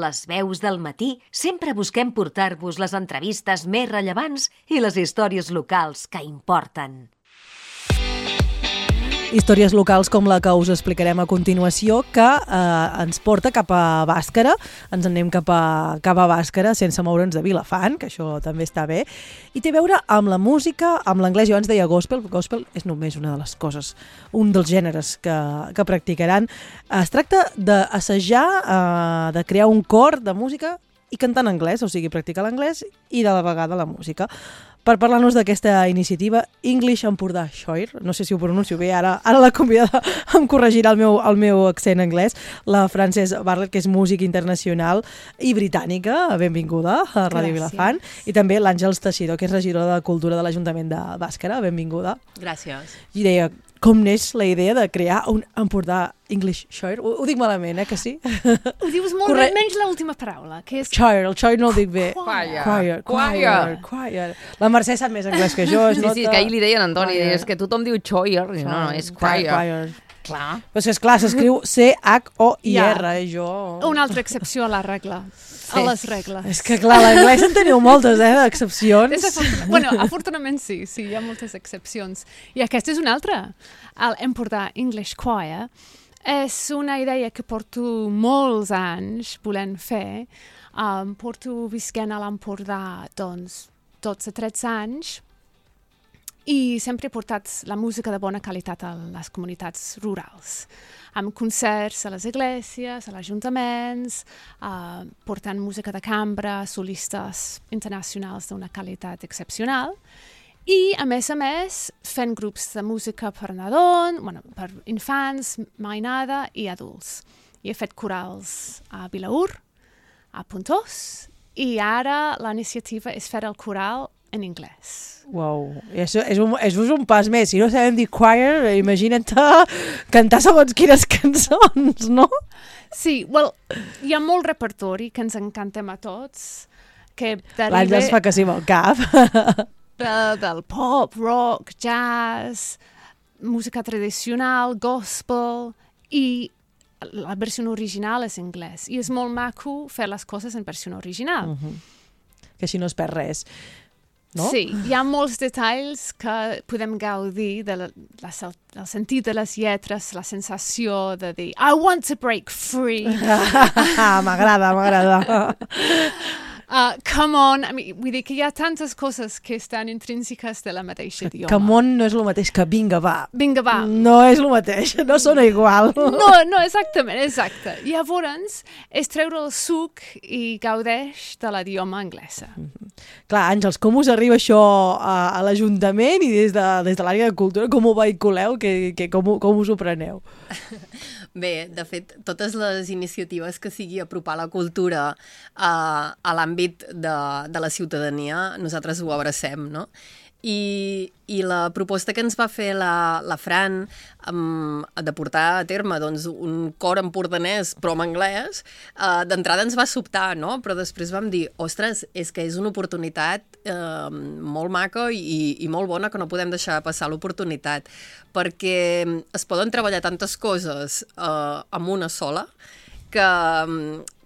Les veus del matí sempre busquem portar-vos les entrevistes més rellevants i les històries locals que importen. Històries locals com la que us explicarem a continuació, que ens porta cap a Bàscara. Ens anem cap a Bàscara sense moure'ns de Vilafant, que això també està bé. I té a veure amb la música, amb l'anglès. Jo abans deia gospel. Gospel és només una de les coses, un dels gèneres que practicaran. Es tracta d'assajar, de crear un cor de música i cantar en anglès, o sigui, practicar l'anglès i de la vegada la música. Per parlar-nos d'aquesta iniciativa, English Empordà Choir, no sé si ho pronuncio bé, ara la convidada em corregirà el meu accent anglès, la Frances Bartlett, que és música internacional i britànica, benvinguda a Ràdio Vilafant, i també l'Àngels Teixidor, que és regidora de Cultura de l'Ajuntament de Bàscara, benvinguda. Gràcies. I deia, com neix la idea de crear un Empordà English Choir? Ho dic malament, que sí? Ho dius molt bé, menys l'última paraula, que és... Choir, el choir no el dic bé. Choir. La Mercè sap més anglès que jo. Sí, que ahir li deien a Antoni, és que tothom diu choir, no, és choir. Clar. Però és clar, s'escriu C-H-O-I-R, jo... Una altra excepció a la regla. A les regles. És que clar, l'anglès en teniu moltes, d'excepcions. Bueno, afortunadament sí, hi ha moltes excepcions. I aquesta és una altra. L'Empordà English Choir és una idea que porto molts anys volent fer. Porto visquent a l'Empordà, doncs, 12-13 anys, i sempre he portat la música de bona qualitat a les comunitats rurals, amb concerts a les esglésies, a els ajuntaments, portant música de cambra, solistes internacionals d'una qualitat excepcional, i, a més, fent grups de música per nadons, per infants, mainada i adults. I he fet corals a Vilaür, a Pontós, i ara la iniciativa és fer el coral en anglès. Uau, és un pas més. Si no sabem dir choir, imagina't cantar segons quines cançons, no? Sí, hi ha molt repertori que ens encantem a tots. L'Àngels fa que sí amb el cap. Del pop, rock, jazz, música tradicional, gospel, i la versió original és anglès. I és molt maco fer les coses en versió original. Que així no es perd res. No? Sí, hi ha molts detalls que podem gaudir del sentit de les lletres, la sensació de dir I want to break free. M'agrada. Come on, vull dir que hi ha tantes coses que estan intrínseques de la mateixa idioma. Come on no és el mateix que vinga, va. Vinga, va. No és el mateix, no sona igual. No, exacte. Llavors, és treure el suc i gaudeix de l'idioma anglesa. Clar, Àngels, com us arriba això a l'Ajuntament i des de l'àrea de cultura? Com ho vehiculeu? Com us ho preneu? Bé, de fet, totes les iniciatives que sigui apropar la cultura a l'àmbit de la ciutadania, nosaltres ho abracem, no? I la proposta que ens va fer la Fran de portar a terme doncs, un cor empordanès però en anglès, d'entrada ens va sobtar, no? Però després vam dir, ostres, és que és una oportunitat molt maca i molt bona, que no podem deixar passar l'oportunitat, perquè es poden treballar tantes coses amb una sola, que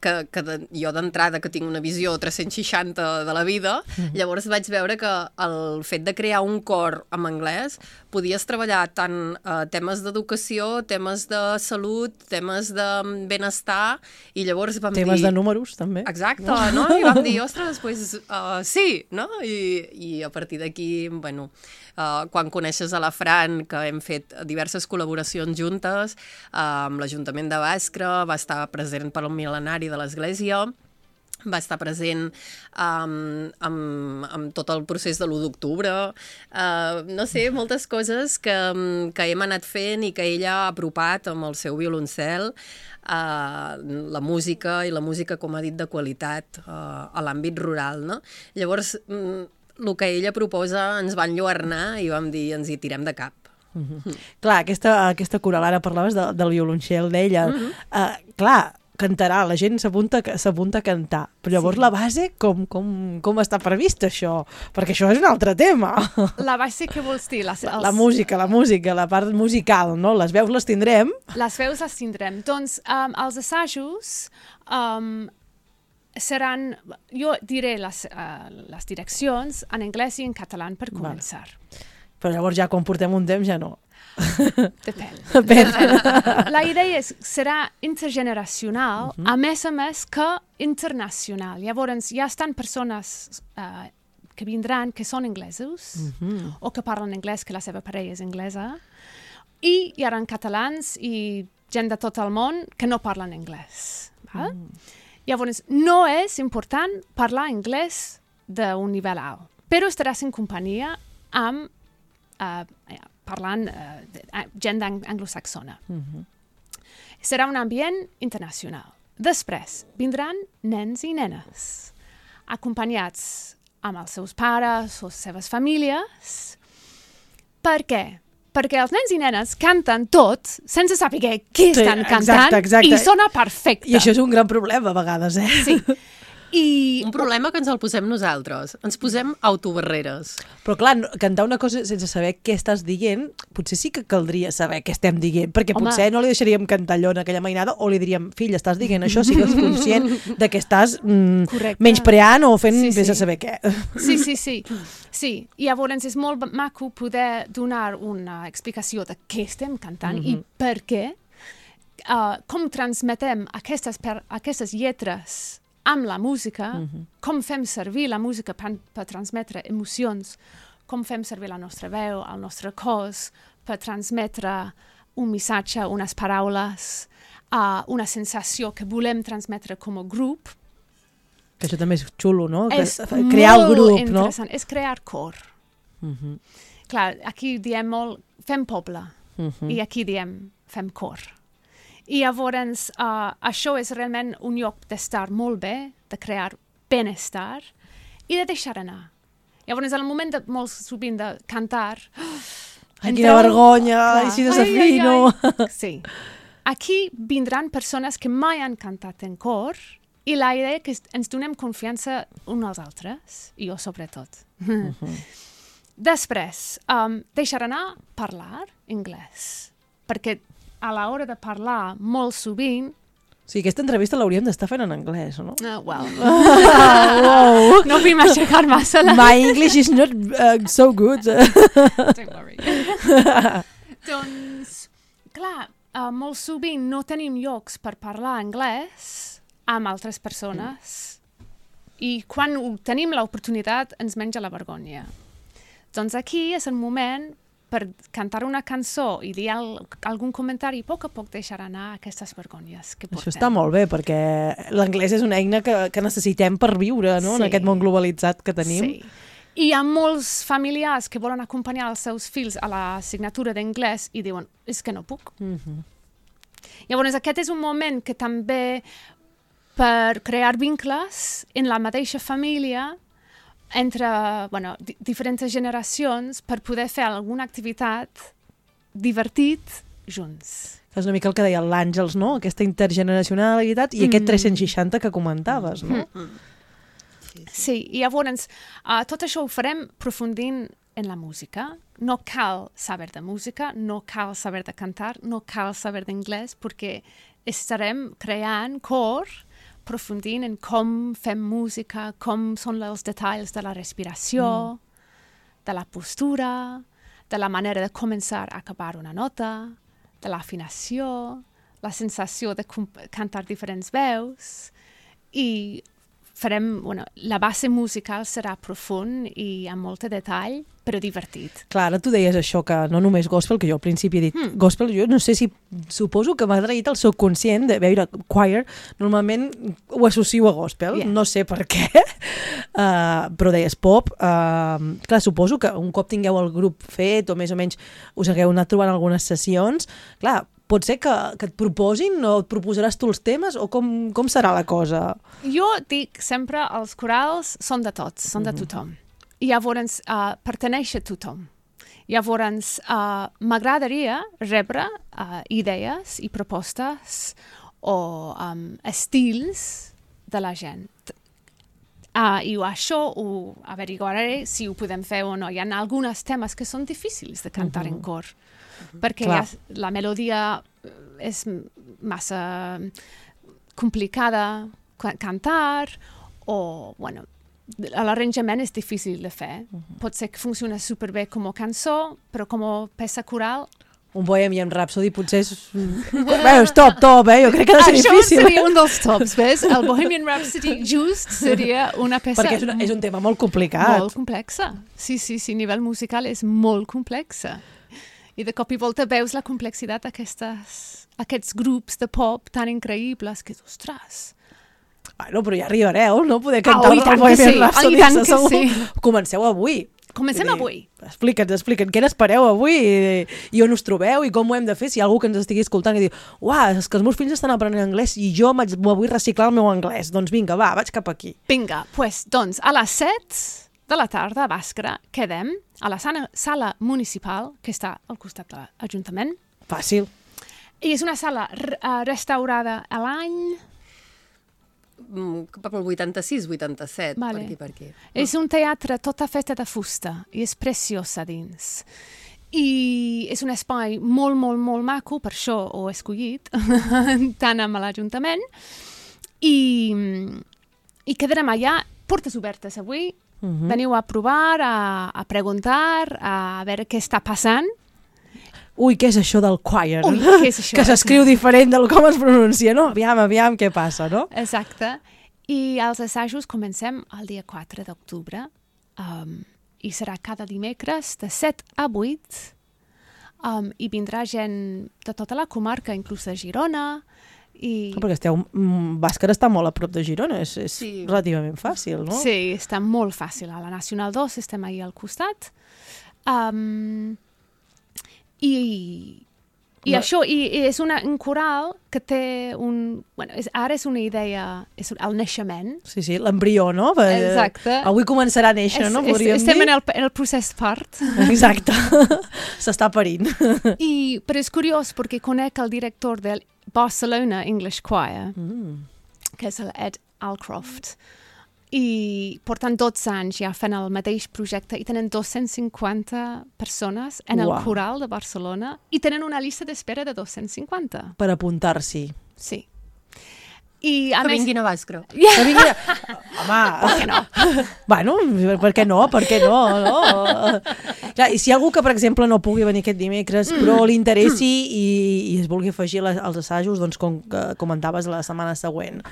jo d'entrada, que tinc una visió 360 de la vida, llavors vaig veure que el fet de crear un cor en anglès podies treballar tant temes d'educació, temes de salut, temes de benestar, i llavors vam dir... Temes de números, també. Exacte, no? I vam dir, ostres, doncs sí, no? I a partir d'aquí, bueno, quan coneixes a la Fran, que hem fet diverses col·laboracions juntes, amb l'Ajuntament de Bàscara, va estar present per al mil·lenari de l'Església, va estar present amb tot el procés de l'1 d'octubre, no sé, moltes coses que hem anat fent i que ella ha apropat amb el seu violoncel, la música, i la música, com ha dit, de qualitat a l'àmbit rural, no? Llavors, el que ella proposa ens va enlluernar i vam dir, ens hi tirem de cap. Clar, aquesta coral, ara parlaves del violoncel d'ella, clar, cantarà, la gent s'apunta a cantar, però llavors la base com està previst això? Perquè això és un altre tema. La base, què vols dir? La música, la part musical, no? Les veus les tindrem? Les veus les tindrem. Doncs els assajos seran... Jo diré les direccions en anglès i en català per començar. Però llavors ja quan portem un temps ja no. Depèn. La idea serà intergeneracional, a més que internacional. Llavors ja estan persones que vindran que són anglesos o que parlen anglès, que la seva parella és anglesa, i hi haurà catalans i gent de tot el món que no parlen anglès. Llavors, no és important parlar anglès d'un nivell alt, però estaràs en companyia amb parlant gent anglosaxona. Serà un ambient internacional. Després, vindran nens i nenes, acompanyats amb els seus pares o les seves famílies. Per què? Perquè els nens i nenes canten tot sense saber què estan cantant i sona perfecte. I això és un gran problema a vegades, Sí. Un problema que ens el posem nosaltres. Ens posem autobarreres. Però clar, cantar una cosa sense saber què estàs dient, potser sí que caldria saber què estem dient, perquè potser no li deixaríem cantar allò en aquella mainada o li diríem, fill, estàs dient això, sigues conscient de que estàs menyspreant o fent vés a saber què. Sí. Llavors és molt maco poder donar una explicació de què estem cantant i per què, com transmetem aquestes lletres amb la música, com fem servir la música per transmetre emocions, com fem servir la nostra veu, el nostre cos, per transmetre un missatge, unes paraules, una sensació que volem transmetre com a grup. Que això també és xulo, no? Crear el grup, no? És crear cor. Clar, aquí diem molt, fem poble, i aquí diem, fem cor. I llavors això és realment un lloc d'estar molt bé, de crear benestar i de deixar anar. Llavors, al moment molt sovint de cantar... Quina vergonya, i si desafino... Sí. Aquí vindran persones que mai han cantat en cor i la idea és que ens donem confiança uns als altres, i jo sobretot. Després, deixar anar parlar anglès, perquè a l'hora de parlar, molt sovint... Sí, aquesta entrevista l'hauríem d'estar fent en anglès, no? Wow. No vull m'aixecar massa. My English is not so good. Don't worry. Doncs, clar, molt sovint no tenim llocs per parlar anglès amb altres persones i quan tenim l'oportunitat ens menja la vergonya. Doncs aquí és el moment per cantar una cançó i dir algun comentari, a poc deixar anar aquestes vergonyes que portem. Això està molt bé, perquè l'anglès és una eina que necessitem per viure, no? En aquest món globalitzat que tenim. Sí. I hi ha molts familiars que volen acompanyar els seus fills a la assignatura d'anglès i diuen, és que no puc. Llavors, aquest és un moment que també per crear vincles en la mateixa família entre diferents generacions per poder fer alguna activitat divertit junts. És una mica el que deia l'Àngels, no? Aquesta intergeneracionalitat i aquest 360 que comentaves, no? Sí, i llavors tot això ho farem aprofundint en la música. No cal saber de música, no cal saber de cantar, no cal saber d'anglès, perquè estarem creant cor aprofundint en com fem música, com són els detalls de la respiració, de la postura, de la manera de començar a acabar una nota, de l'afinació, la sensació de cantar diferents veus, i farem, la base musical serà profund i amb molt de detall, però divertit. Clar, ara tu deies això, que no només gospel, que jo al principi he dit gospel, jo no sé si, suposo que m'ha traït el subconscient de veure choir, normalment ho associo a gospel, no sé per què, però deies pop, clar, suposo que un cop tingueu el grup fet o més o menys us hagueu anat trobant algunes sessions, clar, pot ser que et proposin o et proposaràs tu els temes o com serà la cosa? Jo dic sempre els corals són de tots, són de tothom. I llavors perteneix a tothom. Llavors m'agradaria rebre idees i propostes o estils de la gent. I això ho averiguaré si ho podem fer o no. Hi ha alguns temes que són difícils de cantar en cor, perquè la melodia és massa complicada, cantar, o, bueno, l'arranjament és difícil de fer. Pot ser que funciona superbé com a cançó, però com a peça coral... Un Bohemian Rhapsody potser és... Bé, top, jo crec que ha de ser difícil. Això seria un dels tops, ves? El Bohemian Rhapsody just seria una peça... Perquè és un tema molt complicat. Molt complexa. Sí, a nivell musical és molt complexa. I de cop i volta veus la complexitat d'aquests grups de pop tan increïbles que, ostres... Bueno, però ja arribareu, no? Poder cantar i tant el Bohemian Rhapsody. I tant que sí. Comenceu avui. Comencem avui. Explica'ns, què n'espereu avui i on us trobeu i com ho hem de fer si hi ha algú que ens estigui escoltant i diu és que els meus fills estan aprenent anglès i jo m'ho vull reciclar el meu anglès. Doncs vinga, vaig cap aquí. Vinga, doncs a les 7 de la tarda a Bàscara quedem a la sala municipal que està al costat de l'Ajuntament. Fàcil. I és una sala restaurada a l'any... cap al 86, 87, vale. per aquí. És un teatre tota feta de fusta i és preciós a dins. I és un espai molt, molt, molt maco, per això ho he escollit, tant amb l'Ajuntament. I quedarem allà, portes obertes avui, veniu a provar, a preguntar, a veure què està passant. Ui, què és això del choir? Ui, què és això? Que s'escriu diferent del com es pronuncia, no? Aviam què passa, no? Exacte. I els assajos comencem el dia 4 d'octubre i serà cada dimecres de 7 a 8 i vindrà gent de tota la comarca, inclús de Girona. Perquè Bàscara està molt a prop de Girona, és relativament fàcil, no? Sí, està molt fàcil. A la Nacional 2 estem ahir al costat. I això, és un coral que té ara és una idea, és el naixement. Sí, l'embrió, no? Exacte. Avui començarà a néixer, no? Estem en el procés part. Exacte. S'està parint. Però és curiós perquè conec el director del Barcelona English Choir, que és l'Ed Alcroft. I porten 12 anys ja fent el mateix projecte i tenen 250 persones en el coral de Barcelona i tenen una llista d'espera de 250. Per apuntar-s'hi. Sí. Que vinguin a Bàscara. Que vinguin a... Home... Per què no? Bueno, per què no? Clar, i si hi ha algú que, per exemple, no pugui venir aquest dimecres, però li interessi i es vulgui afegir als assajos, doncs com comentaves la setmana següent,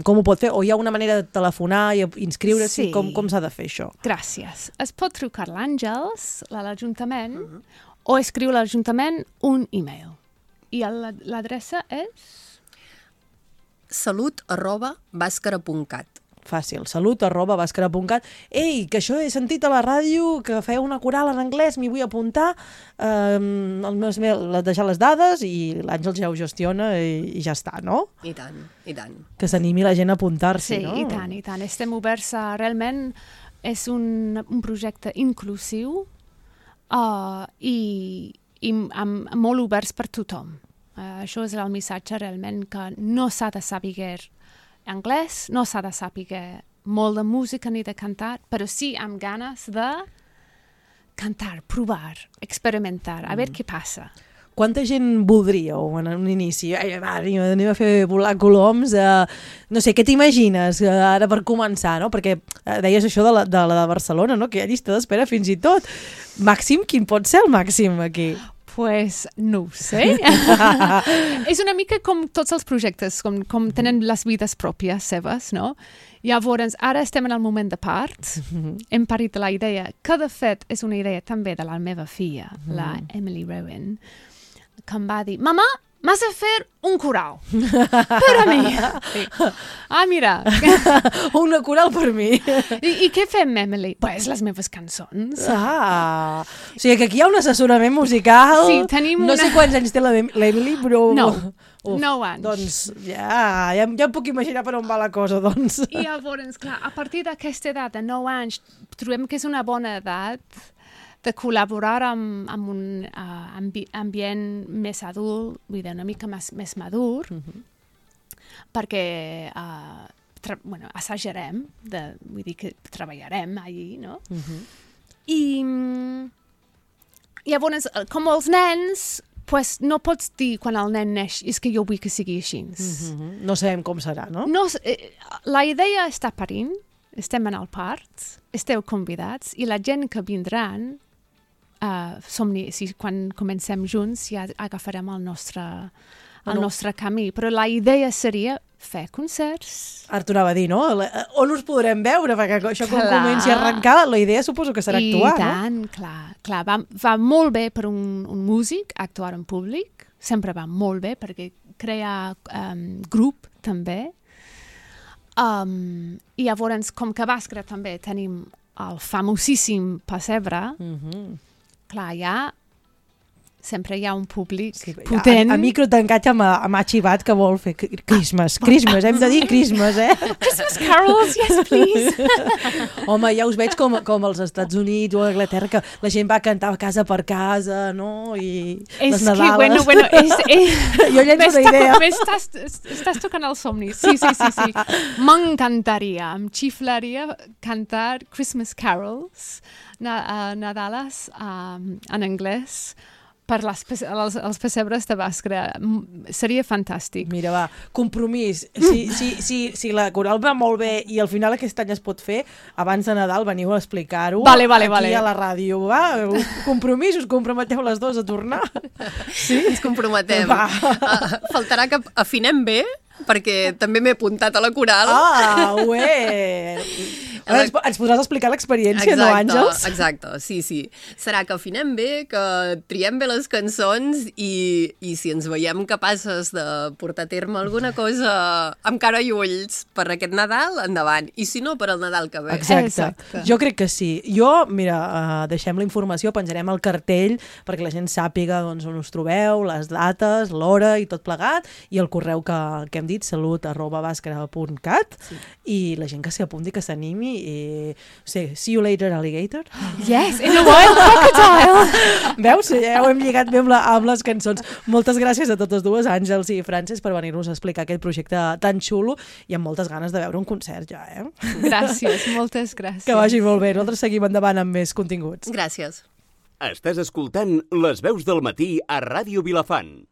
com ho pot fer? O hi ha una manera de telefonar i inscriure-s'hi? Sí. Com s'ha de fer això? Gràcies. Es pot trucar l'Àngels, a l'Ajuntament, o escriure a l'Ajuntament un e-mail. I l'adreça és... salut@bascara.cat. Fàcil, salut@bascara.cat. Ei, que això he sentit a la ràdio, que feu una coral en anglès, m'hi vull apuntar, deixar les dades i l'Àngels ja ho gestiona i ja està, no? I tant. Que s'animi la gent a apuntar-s'hi, no? Sí, i tant. Estem oberts realment, és un projecte inclusiu i molt oberts per tothom. Això és el missatge realment que no s'ha de saber anglès, no s'ha de saber molt de música ni de cantar, però sí amb ganes de cantar, provar, experimentar, a veure què passa. Quanta gent voldríeu en un inici? Anem a fer volar coloms. No sé, què t'imagines ara per començar, no? Perquè deies això de la de Barcelona, no? Que hi ha llista d'espera fins i tot. Màxim, quin pot ser el màxim aquí? Pues no ho sé. És una mica com tots els projectes, com tenen les vides pròpies seves, no? Llavors, ara estem en el moment de part. Hem parit de la idea, que de fet és una idea també de la meva filla, la Emily Rowan, que em va dir, mama, m'has de fer un coral. Per a mi. Sí. Mira. Una coral per mi. I què fem, Emily? Pues les meves cançons. O sigui que aquí hi ha un assessorament musical. Sí, tenim no sé quants anys té l'Emily, però... 9 anys. Doncs ja em puc imaginar per on va la cosa, doncs. I llavors, clar, a partir d'aquesta edat de 9 anys, trobem que és una bona edat de col·laborar amb un ambient més adult, vull dir, una mica més madur, perquè assajarem, vull dir que treballarem allí, no? I llavors, com els nens, pues, no pots dir quan el nen neix és que jo vull que sigui així. No sabem com serà, no? La idea està parint, estem en el part, esteu convidats i la gent que vindran, quan comencem junts ja agafarem el nostre camí. Però la idea seria fer concerts. Ara t'ho anava a dir, no? On us podrem veure? Perquè això quan comenci a arrencar, la idea suposo que serà actuar, no? I tant, clar. Va molt bé per un músic actuar en públic, sempre va molt bé perquè crea grup també. I llavors, com que a Bàscara també tenim el famosíssim pessebre, clar, sempre hi ha un públic potent. A micro tancat m'ha xivat que vol fer Christmas, hem de dir Christmas, Christmas carols, yes, please. Home, ja us veig com als Estats Units o a Anglaterra, que la gent va cantar casa per casa, no? I les Nadales. Bueno, jo llenço una idea. Estàs tocant el somni. Sí. M'encantaria, em xiflaria cantar Christmas carols, Nadales en anglès, per els pessebres de Bàscara. Seria fantàstic. Mira, va, compromís. Si la coral va molt bé i al final aquest any es pot fer, abans de Nadal veniu a explicar-ho vale. aquí a la ràdio. Va, compromís, us comprometeu les dues a tornar? Sí? Ens comprometem. Faltarà que afinem bé, perquè també m'he apuntat a la coral. Ué! Ens podràs explicar l'experiència, no, Àngels? Exacte, sí. Serà que afinem bé, que triem bé les cançons i si ens veiem capaces de portar a terme alguna cosa amb cara i ulls per aquest Nadal, endavant. I si no, per al Nadal que ve. Exacte. Jo crec que sí. Mira, deixem la informació, penjarem el cartell perquè la gent sàpiga on us trobeu, les dates, l'hora i tot plegat, i el correu que hem dit, salut@bascara.cat, i la gent que s'hi apunti, que s'animi i... see you later, alligator. Yes, in a wild crocodile. Veus? Ja ho hem lligat bé amb les cançons. Moltes gràcies a totes dues, Àngels i Frances, per venir-nos a explicar aquest projecte tan xulo i amb moltes ganes de veure un concert ja, Gràcies, moltes gràcies. Que vagi molt bé. Nosaltres seguim endavant amb més continguts. Gràcies. Estàs escoltant Les Veus del Matí a Ràdio Vilafant.